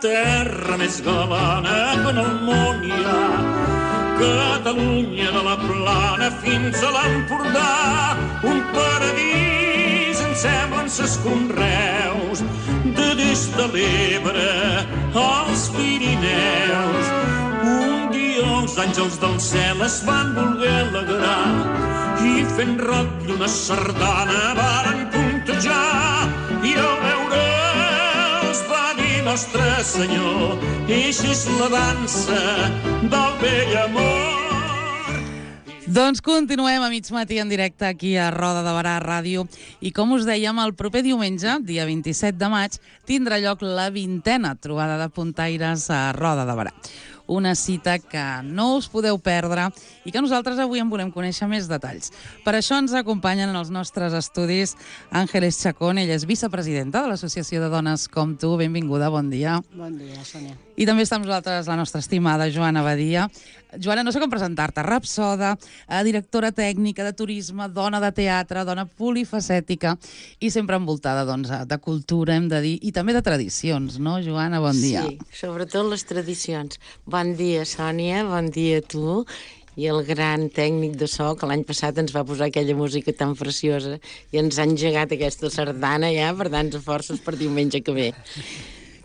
terra més galana que en el món hi ha. Catalunya de la Plana fins a l'Empordà, un paradís ens semblen ses conreus, de des de l'Ebre als Pirineus. Un dia els àngels del cel es van voler alegrar i fent rock i una sardana varen puntejar, i al veure'ls va dir Nostre Senyor, eixa és la dansa del vell amor. Doncs continuem a mig matí en directe aquí a Roda de Barà Ràdio, i com us dèiem, el proper diumenge, dia 27 de maig, tindrà lloc la 20a trobada de puntaires a Roda de Barà. Una cita que no us podeu perdre i que nosaltres avui en volem conèixer més detalls. Per això ens acompanyen en els nostres estudis Ángeles Chacón, ella és vicepresidenta de l'Associació de Dones com Tu. Benvinguda, bon dia. Bon dia, Sònia. I també està amb nosaltres la nostra estimada Joana Badia. Joana, no sé com presentar-te, rapsoda, directora tècnica de turisme, dona de teatre, dona polifacètica i sempre envoltada de cultura, hem de dir, i també de tradicions, no, Joana? Bon dia. Sí, sobretot les tradicions. Bon dia, Sònia, bon dia a tu i el gran tècnic de so que l'any passat ens va posar aquella música tan preciosa i ens ha engegat aquesta sardana ja per tants forces per diumenge que ve.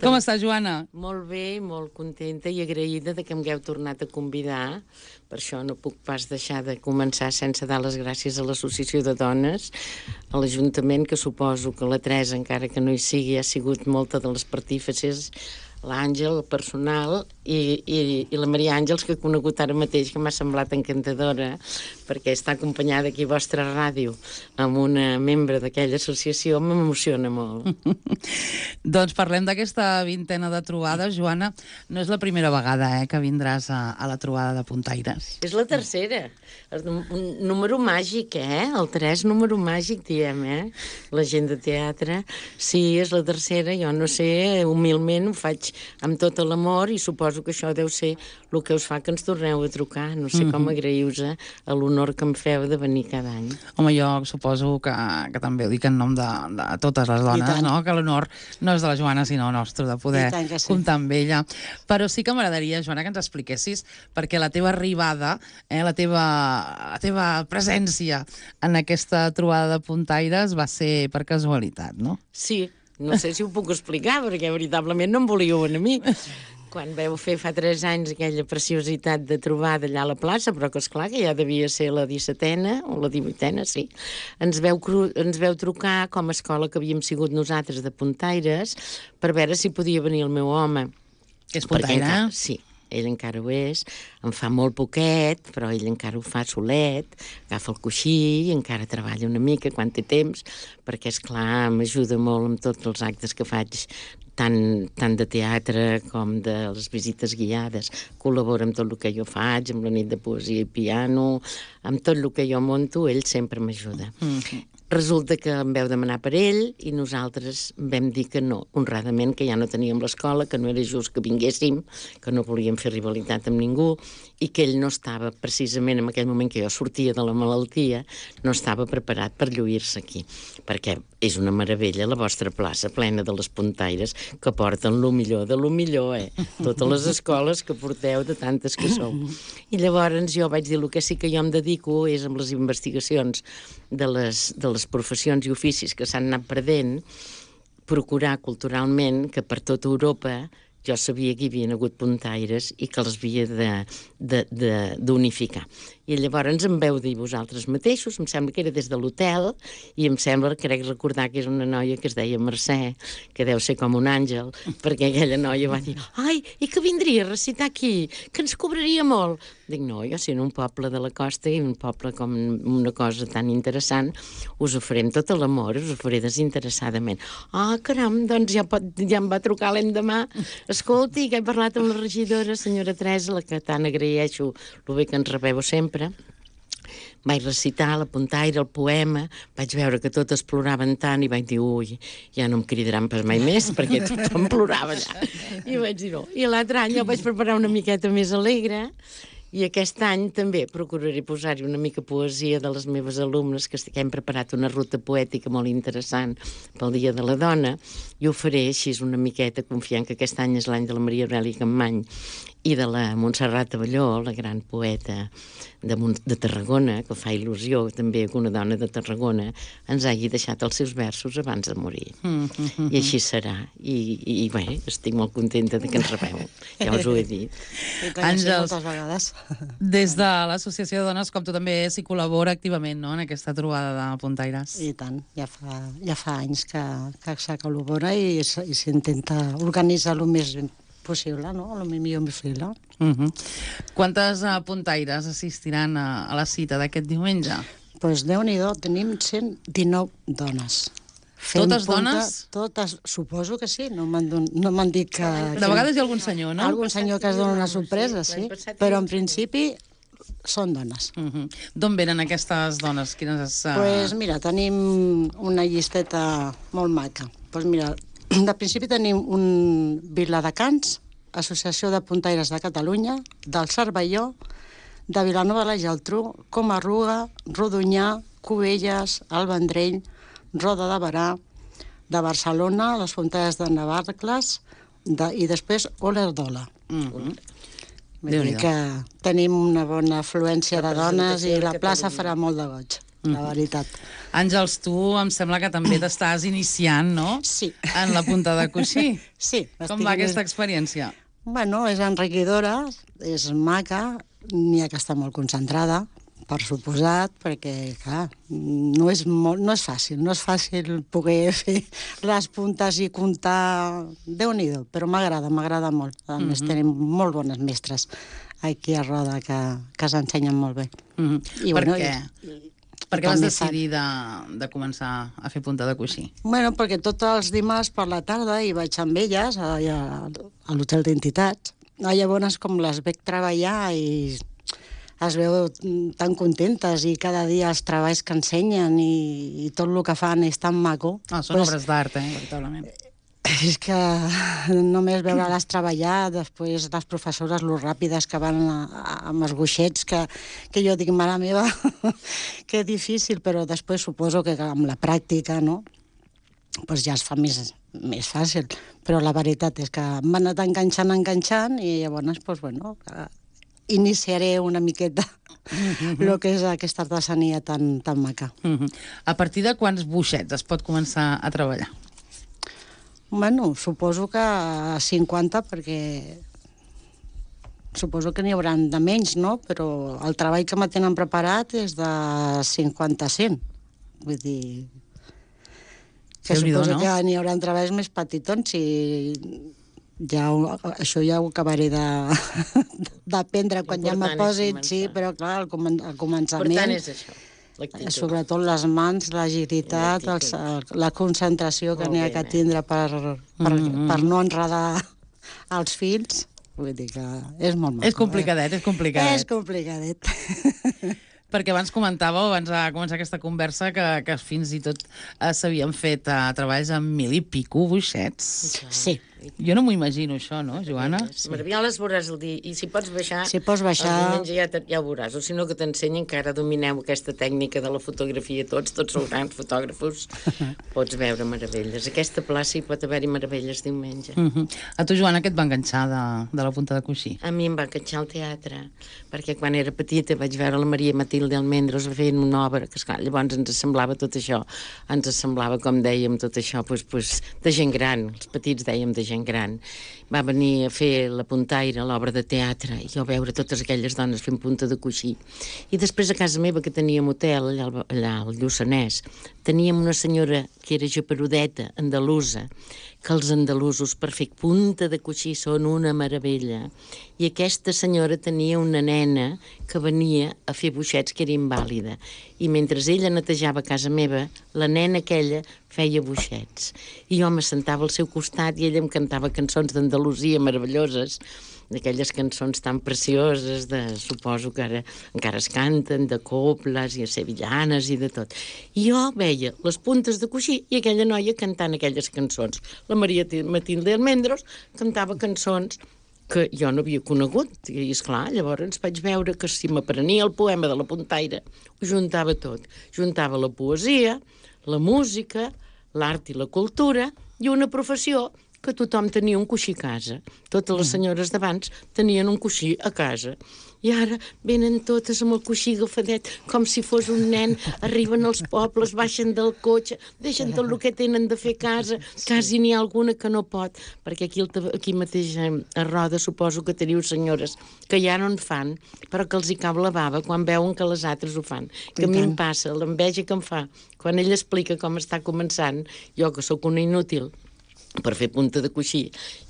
Com està, Joana? Molt bé, molt contenta i agraïda de que em hagueu tornat a convidar. Per això no puc pas deixar de començar sense dar les gràcies a l'Associació de Dones, a l'Ajuntament, que suposo que la Teresa, encara que no hi sigui, ha sigut molta de les partífices, l'Àngel, el personal, i la Maria Àngels, que he conegut ara mateix, que m'ha semblat encantadora, perquè està acompanyada aquí a vostra ràdio amb una membre d'aquella associació, m'emociona molt. Doncs parlem d'aquesta 20a de trobada. Joana, no és la primera vegada que vindràs a la trobada de puntaires. És la tercera. Un número màgic, El 3, número màgic, diem, La gent de teatre. Sí, és la tercera, jo no sé, humilment ho faig amb tot l'amor i suposo que això deu ser el que us fa que ens torneu a trucar. No sé com agrair-vos a l'honor que em feu de venir cada any. Home, jo suposo que també ho dic en nom de totes les dones, no? Que l'honor no és de la Joana, sinó nostre, de poder comptar amb ella. Però sí que m'agradaria, Joana, que ens expliquessis perquè la teva arribada, la teva presència en aquesta trobada de puntaires va ser per casualitat, no? Sí, no sé si ho puc explicar, perquè veritablement no em volíeu a mi. Quan veu fer fa 3 anys aquella preciositat de trobada allà a la plaça, però que esclar que ja devia ser la 17a o la 18a, sí, ens veu trucar com a escola que havíem sigut nosaltres de puntaires per veure si podia venir el meu home. Que és puntaire? Sí. Ell encara ho és, en fa molt poquet, però ell encara ho fa solet, agafa el coixí i encara treballa una mica quan té temps, perquè, esclar, m'ajuda molt amb tots els actes que faig, tant de teatre com de les visites guiades. Col·labora amb tot el que jo faig, amb la nit de poesia i piano, amb tot el que jo monto, ell sempre m'ajuda. Resulta que em veu demanar per ell i nosaltres vam dir que no, honradament, que ja no teníem l'escola, que no era just que vinguéssim, que no volíem fer rivalitat amb ningú i que ell no estava, precisament en aquell moment que jo sortia de la malaltia, no estava preparat per lluir-se aquí, perquè és una meravella la vostra plaça plena de les puntaires que porten lo millor de lo millor, totes les escoles que porteu de tantes que sou. I llavors jo vaig dir el que sí que jo em dedico és amb les investigacions de les professions i oficis que s'han anat perdent, procurar culturalment que per tota Europa jo sabia que hi havia hagut puntaires i que els havia d'unificar. I llavors em veu dir vosaltres mateixos, em sembla que era des de l'hotel, i em sembla, crec recordar que és una noia que es deia Mercè, que deu ser com un àngel, perquè aquella noia va dir, ai, i que vindria a recitar aquí, que ens cobraria molt. Dic, no, jo sent un poble de la costa i un poble com una cosa tan interessant, us ho farem tot l'amor, us ho faré desinteressadament. Ah, caram, doncs ja em va trucar l'endemà. Escolti, que he parlat amb la regidora, senyora Teresa, la que tant agraeixo el bé que ens rebeu sempre. Vaig recitar la puntaire, el poema, vaig veure que totes ploraven tant i vaig dir, ui, ja no em cridaran pas mai més, perquè tothom plorava allà. I vaig dir no. I l'altre any jo vaig preparar una miqueta més alegre I aquest any també procuraré posar-hi una mica poesia de les meves alumnes, que hem preparat una ruta poètica molt interessant pel Dia de la Dona, i ho faré així una miqueta, confiant que aquest any és l'any de la Maria Aurèlia Campmany i de la Montserrat Abelló, la gran poeta de Tarragona, que fa il·lusió també que una dona de Tarragona ens hagi deixat els seus versos abans de morir. I així serà. I bé, estic molt contenta de que ens rebeu. Ja us ho he dit. Àngels, moltes vegades. Des de l'Associació de Dones, com tu també s'hi col·labora activament, no?, en aquesta trobada de puntaires. I tant, ja fa anys que se col·labora i s'intenta organitzar el més possible, no? El millor possible. Quantes puntaires assistiran a la cita d'aquest diumenge? Doncs Déu-n'hi-do, tenim 119 dones. Totes dones? Totes, suposo que sí, no m'han dit que... De vegades hi ha algun senyor, no? Algun senyor que es dona una sorpresa, sí, però en principi són dones. D'on venen aquestes dones? Doncs mira, tenim una llisteta molt maca. Doncs mira, de principi tenim un Viladecans, Associació de Puntaires de Catalunya, del Cervelló, de Vilanova de la Geltrú, Comarruga, Rodonyà, Cubelles, El Vendrell, Roda de Berà, de Barcelona, les Puntaires de Navarcles i després Olèrdola. Vull dir que tenim una bona afluència de dones i la plaça farà molt de goig, la veritat. Àngels, tu em sembla que també t'estàs iniciant, no? Sí. En la punta de coixí. Sí. Com va aquesta experiència? Bueno, és enriquidora, és maca, n'hi ha que estar molt concentrada, per suposat, perquè, clar, no és fàcil. No és fàcil poder fer les puntes i comptar. Déu-n'hi-do, però m'agrada molt. A més, tenim molt bones mestres aquí a Roda que s'ensenyen molt bé. Per què? Per què vas decidir de començar a fer punta de coixí? Bueno, perquè tots els dimarts per la tarda hi vaig amb elles a l'Hotel d'Entitats. Llavors, com les veig treballar i es veu tan contentes i cada dia els treballs que ensenyen i tot el que fan és tan maco. Són obres d'art, veritablement. És que només veure-les treballar, després les professores, lo ràpides que van amb els goixets, que jo dic, mare meva, que difícil, però després suposo que amb la pràctica, no?, doncs ja es fa més fàcil. Però la veritat és que m'han anat enganxant i llavors, doncs, bueno, iniciaré una miqueta el que és aquesta artesania tan maca. A partir de quants boixets es pot començar a treballar? Bueno, suposo que 50, perquè suposo que n'hi haurà de menys, no? Però el treball que me tenen preparat és de 50 a 100. Vull dir que suposo que n'hi haurà treballs més petitons i això ja ho acabaré d'aprendre quan ja me posin, sí, però clar, al començament... Per tant, és això. Sobretot les mans, l'agilitat, la concentració que n'hi ha que tindre per no enredar els fils. Vull dir que és molt maco. És complicadet. És complicadet. Perquè abans comentàveu, abans de començar aquesta conversa, que fins i tot s'havien fet treballs amb 1000 i pico boixets. Sí. Jo no m'ho imagino, això, no, Joana? Meravioles veuràs el dia. I si pots baixar... Si pots baixar... El diumenge ja ho veuràs. O si no, que t'ensenyi, encara domineu aquesta tècnica de la fotografia tots sou grans fotògrafos. Pots veure meravelles. Aquesta plaça hi pot haver-hi meravelles diumenge. A tu, Joana, què et va enganxar de la punta de coixí? A mi em va enganxar el teatre, perquè quan era petita vaig veure la Maria Matilde Almendros fent una obra, que esclar, llavors ens semblava tot això. Ens semblava, com dèiem, tot això, de gent gran. Els petits dèiem de gent gran. Va venir a fer la puntaire, l'obra de teatre, i jo veure totes aquelles dones fent punta de coixí. I després a casa meva, que teníem hotel allà al Lluçanès, teníem una senyora que era japerudeta, andalusa, que els andalusos per fer punta de coixí són una meravella. I aquesta senyora tenia una nena que venia a fer boixets, que era invàlida. I mentre ella netejava casa meva, la nena aquella feia boixets. I jo m'assentava al seu costat i ella em cantava cançons d'Andalusia meravelloses, d'aquelles cançons tan precioses, suposo que ara encara es canten, de coples i sevillanes i de tot. I jo veia les puntes de coixí i aquella noia cantant aquelles cançons. La Maria Matilde Almendros cantava cançons que jo no havia conegut. I, esclar, llavors vaig veure que si m'aprenia el poema de la puntaire, ho juntava tot. Juntava la poesia, la música, l'art i la cultura i una professió que tothom tenia un coixí a casa. Totes les senyores d'abans tenien un coixí a casa. I ara venen totes amb el coixí agafadet, com si fos un nen, arriben als pobles, baixen del cotxe, deixen tot el que tenen de fer a casa, quasi n'hi ha alguna que no pot, perquè aquí mateix a Roda suposo que teniu senyores que ja no en fan, però que els hi cau la bava quan veuen que les altres ho fan. Que a mi em passa, l'enveja que em fa, quan ell explica com està començant, jo que sóc una inútil, per fer punta de coixí,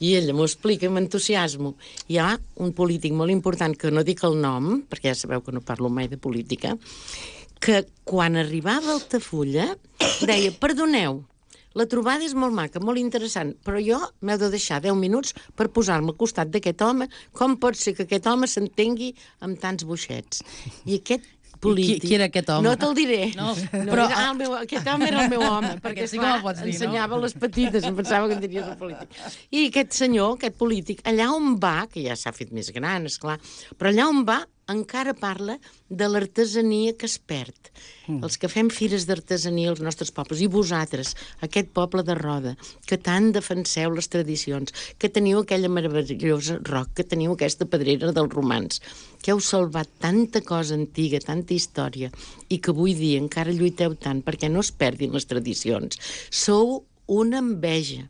i ella m'ho explica amb entusiasmo. Hi ha un polític molt important, que no dic el nom, perquè ja sabeu que no parlo mai de política, que quan arribava a Altafulla deia, perdoneu, la trobada és molt maca, molt interessant, però jo m'heu de deixar 10 minuts per posar-me al costat d'aquest home. Com pot ser que aquest home s'entengui amb tants boixets? I aquest polític... Qui era aquest home? No te'l diré. No, però aquest home era el meu home, perquè sí que me'l pots dir, ensenyava les petites, em pensava que en diries el polític. I aquest senyor, aquest polític, allà on va, que ja s'ha fet més gran, esclar, però allà on va encara parla de l'artesania que es perd. Els que fem fires d'artesania als nostres pobles, i vosaltres, aquest poble de Roda, que tant defenseu les tradicions, que teniu aquella meravellosa roc, que teniu aquesta pedrera dels romans, que heu salvat tanta cosa antiga, tanta història, i que avui dia encara lluiteu tant perquè no es perdin les tradicions. Sou una enveja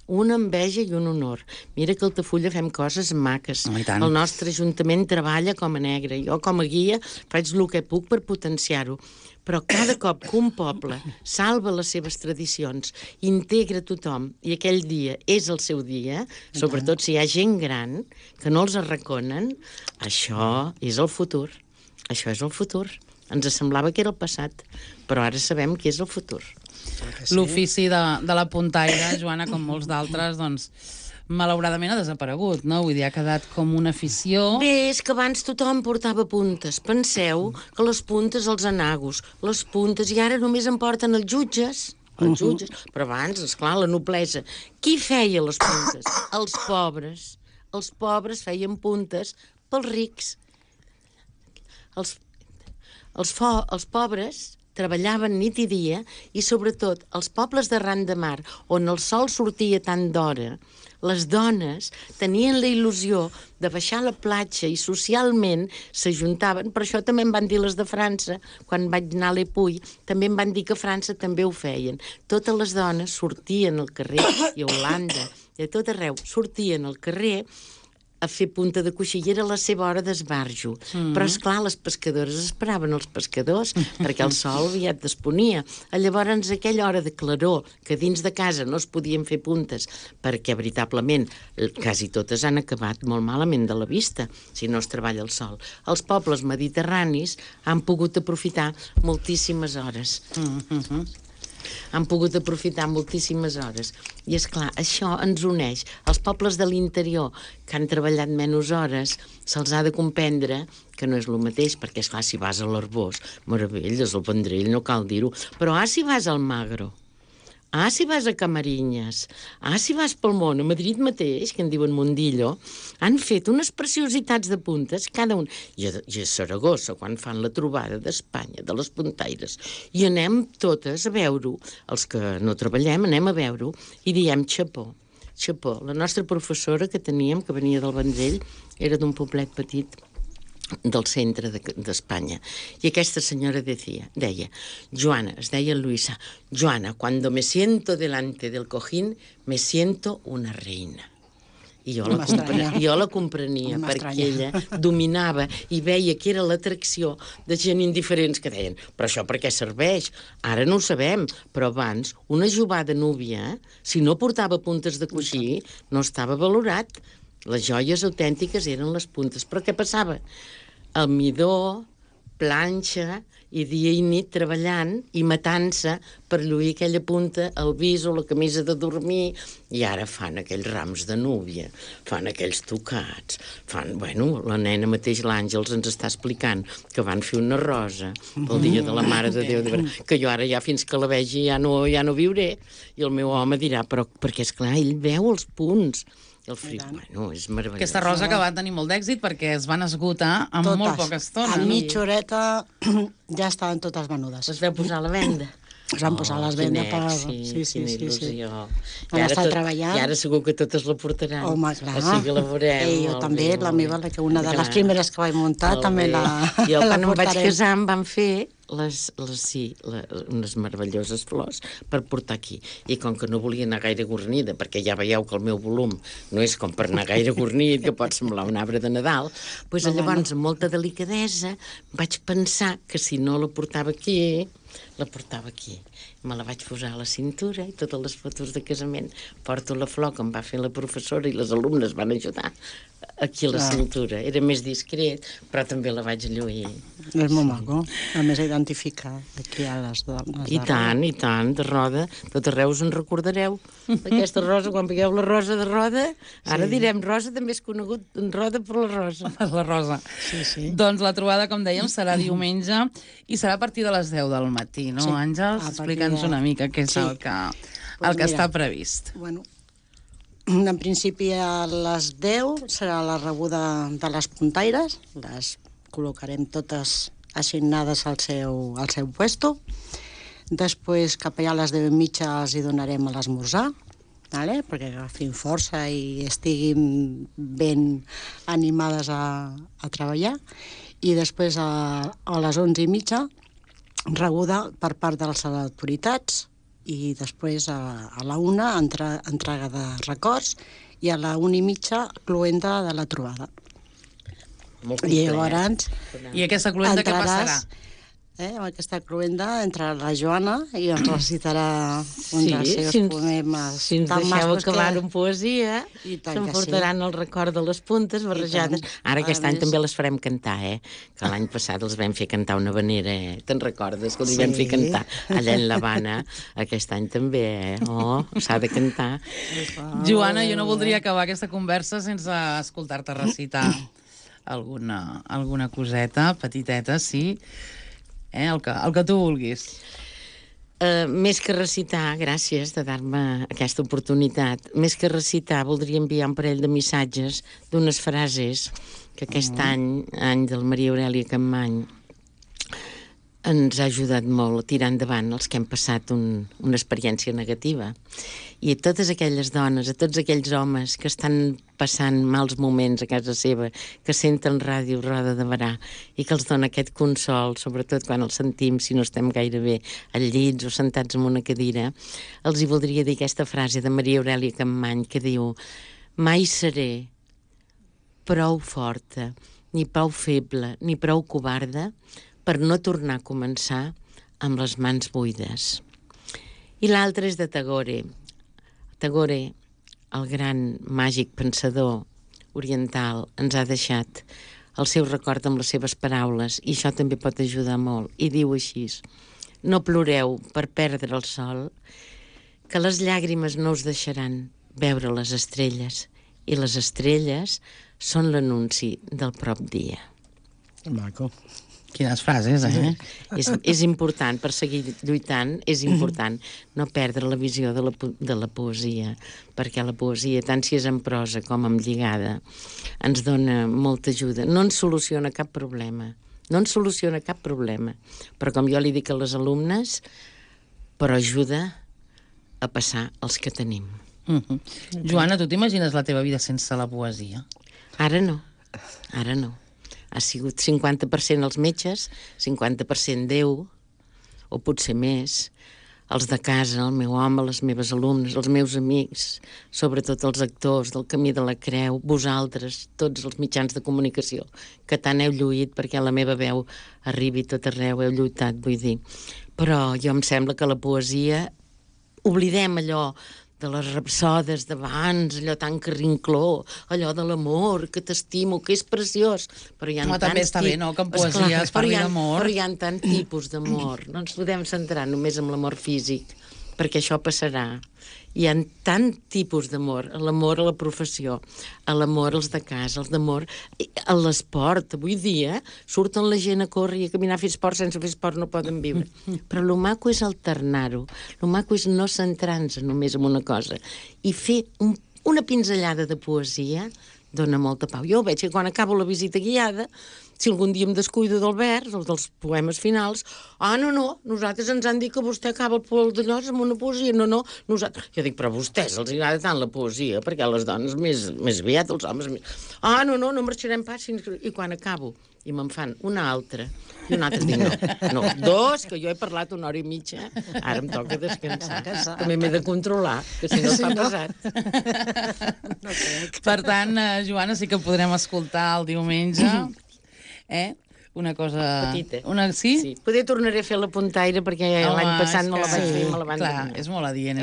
i un honor. Mira que a Altafulla fem coses maques. El nostre ajuntament treballa com a negre. Jo, com a guia, faig el que puc per potenciar-ho. Però cada cop que un poble salva les seves tradicions, integra tothom, i aquell dia és el seu dia, sobretot si hi ha gent gran que no els arraconen, això és el futur. Això és el futur. Ens semblava que era el passat, però ara sabem que és el futur. L'ofici de la puntaire, Joana, com molts d'altres, doncs, malauradament ha desaparegut, no? Vull dir, ha quedat com una afició... Bé, és que abans tothom portava puntes. Penseu que les puntes els anagos, les puntes, i ara només en porten els jutges, però abans, esclar, la noblesa. Qui feia les puntes? Els pobres. Els pobres feien puntes pels rics. Els pobres treballaven nit i dia, i sobretot els pobles d'arran de mar, on el sol sortia tant d'hora, les dones tenien la il·lusió de baixar a la platja i socialment s'ajuntaven. Per això també em van dir les de França, quan vaig anar a l'Epuy, també em van dir que a França també ho feien. Totes les dones sortien al carrer, i a Holanda, i a tot arreu, sortien al carrer a fer punta de coixí, i era la seva hora d'esbarjo. Però, esclar, les pescadores esperaven els pescadors, perquè el sol aviat desponia. Llavors, aquella hora de claror, que dins de casa no es podien fer puntes, perquè, veritablement, quasi totes han acabat molt malament de la vista, si no es treballa el sol. Els pobles mediterranis han pogut aprofitar moltíssimes hores. Han pogut aprofitar moltíssimes hores. I, esclar, això ens uneix. Els pobles de l'interior que han treballat menys hores se'ls ha de comprendre que no és el mateix, perquè, esclar, si vas a l'Arbós, meravelles, al Vendrell, no cal dir-ho, però si vas al Magro, si vas a Camarinyes, si vas pel món, a Madrid mateix, que en diuen Mundillo, han fet unes preciositats de puntes, cada un. I a Saragossa, quan fan la trobada d'Espanya, de les puntaires, i anem totes a veure-ho, els que no treballem anem a veure-ho, i diem xapó. Xapó. La nostra professora que teníem, que venia del Vendrell, era d'un poblet petit del centre d'Espanya. I aquesta senyora deia, Joana, es deia Luisa, Joana, cuando me siento delante del cojín, me siento una reina. I jo la comprenia perquè ella dominava i veia que era l'atracció de gent indiferents que deien, però això per què serveix? Ara no ho sabem, però abans una jovada núvia, si no portava puntes de coixí, no estava valorat. Les joies autèntiques eren les puntes. Però què passava? El midó, planxa, i dia i nit treballant i matant-se per lluir aquella punta, el viso, la camisa de dormir, i ara fan aquells rams de núvia, fan aquells tocats, la nena mateix, l'Àngels, ens està explicant que van fer una rosa pel dia de la Mare de Déu, que jo ara ja fins que la vegi ja no viuré, i el meu home dirà, però perquè, esclar, ell veu els punts, El fric, bueno, és meravellós. Aquesta rosa que va tenir molt d'èxit perquè es van esgotar en molt poca estona. A mitja horeta ja estaven totes venudes. Les vau posar a la venda? Es van posar a les vendes per... Quina il·lusió. Van estar treballant. I ara segur que totes la portaran. Home, clar. Així que la veurem. Jo també, la meva, una de les primeres que vaig muntar, també la portarem. Jo quan em vaig casar em van fer unes meravelloses flors per portar aquí. I com que no volia anar gaire guarnida, perquè ja veieu que el meu volum no és com per anar gaire guarnit, que pot semblar un arbre de Nadal, doncs llavors, amb molta delicadesa, vaig pensar que si no la portava aquí, la portava aquí. Me la vaig posar a la cintura i totes les fotos de casament porto la flor que em va fer la professora i les alumnes van ajudar aquí a la cintura. Era més discret, però també la vaig lluir. És molt maco. A més, identificar aquí a les dones. I tant, de Roda. Tot arreu us en recordareu d'aquesta rosa. Quan veieu la rosa de Roda, ara direm Rosa, també és conegut en Roda per la rosa. La rosa. Sí. Doncs la trobada, com dèiem, serà diumenge i serà a partir de les 10 del matí, no, Àngels? Explica'ns una mica què és el que està previst. Bueno, en principi a les 10 serà la rebuda de les puntaires, les col·locarem totes assignades al seu puesto. Després, cap allà a les 10:30 els hi donarem a l'esmorzar, perquè agafin força i estiguin ben animades a treballar. I després, a les 11:30, rebuda per part de les autoritats, i després a la 1 entrega de records i a la 1:30 cloenda de la trobada. I llavors I aquesta cloenda què passarà? Amb aquesta cloenda entrarà la Joana i ens recitarà un dels seus poemes. Si ens deixeu acabar en poesia, s'emportaran el record de les puntes barrejades. Ara aquest any també les farem cantar, que l'any passat els vam fer cantar una habanera, te'n recordes? Que els vam fer cantar allà en l'Havana. Aquest any també, s'ha de cantar. Joana, jo no voldria acabar aquesta conversa sense escoltar-te recitar alguna coseta, petiteta, sí, el que tu vulguis. Més que recitar, gràcies de dar-me aquesta oportunitat, més que recitar voldria enviar un parell de missatges d'unes frases que aquest any del Maria Aurèlia Capmany, ens ha ajudat molt a tirar endavant els que hem passat una experiència negativa. I a totes aquelles dones, a tots aquells homes que estan passant mals moments a casa seva, que senten ràdio Roda de Berà i que els dona aquest consol, sobretot quan els sentim, si no estem gaire bé, al llit o sentats en una cadira, els hi voldria dir aquesta frase de Maria Aurèlia Capmany que diu: mai seré prou forta, ni prou feble, ni prou covarda per no tornar a començar amb les mans buides. I l'altre és de Tagore. Tagore, el gran màgic pensador oriental, ens ha deixat el seu record amb les seves paraules, i això també pot ajudar molt. I diu així: no ploreu per perdre el sol, que les llàgrimes no us deixaran veure les estrelles, i les estrelles són l'anunci del prop dia. Maco. Quines frases, És important, per seguir lluitant, és important no perdre la visió de la poesia, perquè la poesia, tant si és en prosa com en lligada, ens dona molta ajuda. No ens soluciona cap problema, però com jo li dic a les alumnes, però ajuda a passar els que tenim. Joana, tu t'imagines la teva vida sense la poesia? Ara no. Ha sigut 50% els metges, 50% Déu, o potser més, els de casa, el meu home, les meves alumnes, els meus amics, sobretot els actors del Camí de la Creu, vosaltres, tots els mitjans de comunicació, que tant heu lluït perquè la meva veu arribi tot arreu, heu lluitat, vull dir. Però jo em sembla que la poesia, oblidem allò de les rapsodes d'abans, allò tan carrincló, allò de l'amor, que t'estimo, que és preciós. Però hi ha també està bé, no?, que en poesia es parli d'amor. Però hi ha tants tipus d'amor. No ens podem centrar només en l'amor físic, perquè això passarà. Hi ha tant tipus d'amor, l'amor a la professió, l'amor als de casa, l'amor a l'esport. Avui dia surten la gent a córrer i a caminar a fer esport, sense fer esport no poden viure. Però el maco és alternar-ho, el maco és no centrar-nos només en una cosa i fer una pinzellada de poesia dona molta pau. Jo veig que quan acabo la visita guiada, si algun dia em descuido del vers o dels poemes finals, no, nosaltres ens han dit que vostè acaba el poel de Llos amb una poesia, no, nosaltres... Jo dic, però a vostès els agrada tant la poesia, perquè les dones més aviat, els homes més... No marxarem pas, i quan acabo, i me'n fan una altra, i una altra dic, no, dos, que jo he parlat una hora i mitja, ara em toca descansar. També m'he de controlar, que si no es fa pesat. Per tant, Joana, sí que podrem escoltar el diumenge, una cosa... Petita. Sí? Sí. Poder tornaré a fer la puntaire, perquè l'any passat no la vaig fer i me la van donar. És molt adient,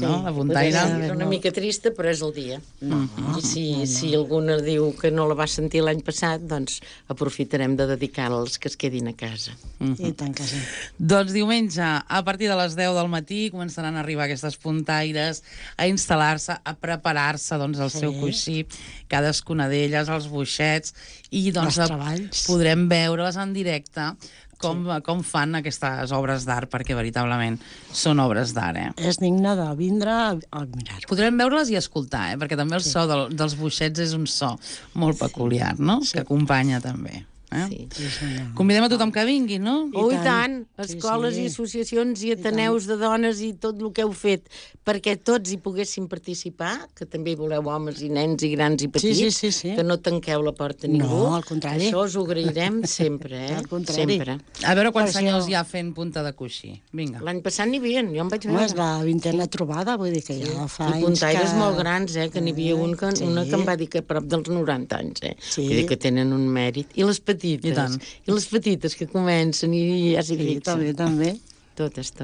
no? La puntaire. Era una mica trista, però és el dia. I si alguna diu que no la va sentir l'any passat, doncs aprofitarem de dedicar-la als que es quedin a casa. I tant que sí. Doncs diumenge, a partir de les 10 del matí, començaran a arribar aquestes puntaires a instal·lar-se, a preparar-se el seu coixí, cadascuna d'elles, els boixets, i doncs podrem veure's en directe com fan aquestes obres d'art, perquè veritablement són obres d'art. És digne de vindre a mirar-ho. Podrem veure-les i escoltar, perquè també el so dels boixets és un so molt peculiar, no? Que acompanya també. Sí. Convidem a tothom que vingui, no? I tant, escoles i associacions i ateneus de dones i tot el que heu fet, perquè tots hi poguessin participar, que també hi voleu homes i nens i grans i petits, que no tanqueu la porta a ningú. No, al contrari. Això us ho agrairem sempre, Al contrari. Sempre. A veure quants senyors hi ha fent punta de coixí. Vinga. L'any passat n'hi havia, jo em vaig veure. És la 20a trobada, vull dir que ja fa anys que... I puntaires molt grans, que n'hi havia una que em va dir que a prop dels 90 anys, Vull dir que tenen un mèrit. I les petites. I les petites que comencen i ja s'hi fixen. També. Totes.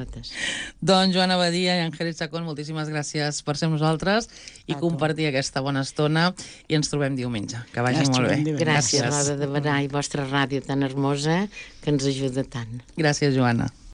Doncs Joana Badia i Àngel Chacón, moltíssimes gràcies per ser amb nosaltres i compartir aquesta bona estona, i ens trobem diumenge. Que vagi molt bé. Gràcies, Roda de Barà, i vostra ràdio tan hermosa que ens ajuda tant. Gràcies, Joana.